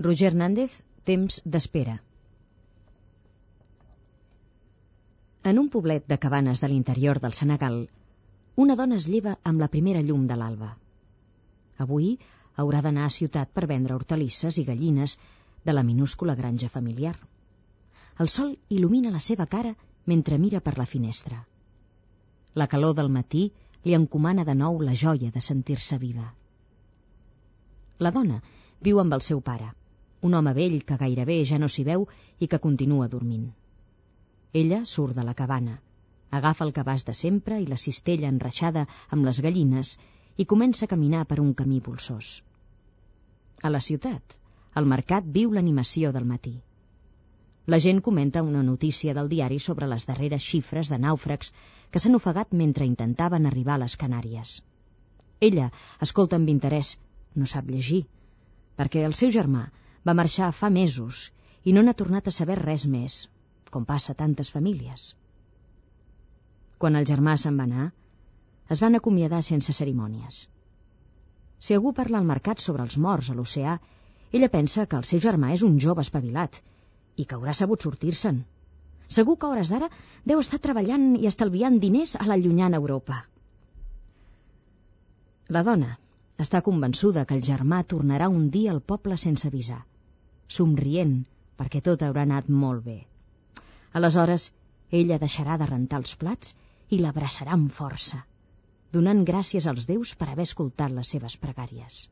Roger Hernández, Temps d'espera. En un poblet de cabanes de l'interior del Senegal, una dona es lleva amb la primera llum de l'alba. Avui haurà d'anar a ciutat per vendre hortalisses i gallines de la minúscula granja familiar. El sol il·lumina la seva cara mentre mira per la finestra. La calor del matí li encomana de nou la joia de sentir-se viva. La dona viu amb el seu pare, un home vell que gairebé ja no s'hi veu i que continua dormint. Ella surt de la cabana, agafa el cabàs de sempre i la cistella enreixada amb les gallines i comença a caminar per un camí polsós. A la ciutat, al mercat viu l'animació del matí. La gent comenta una notícia del diari sobre les darreres xifres de nàufrags que s'han ofegat mentre intentaven arribar a les Canàries. Ella escolta amb interès, no sap llegir, perquè el seu germà va marxar fa mesos i no n'ha tornat a saber res més, com passa a tantes famílies. Quan el germà se'n va anar, es van acomiadar sense cerimònies. Si algú parla al mercat sobre els morts a l'oceà, ella pensa que el seu germà és un jove espavilat i que haurà sabut sortir-se'n. Segur que a hores d'ara deu estar treballant i estalviant diners a la llunyana Europa. La dona està convençuda que el germà tornarà un dia al poble sense avisar, somrient perquè tot haurà anat molt bé. Aleshores, ella deixarà de rentar els plats i l'abraçarà amb força, donant gràcies als déus per haver escoltat les seves pregàries.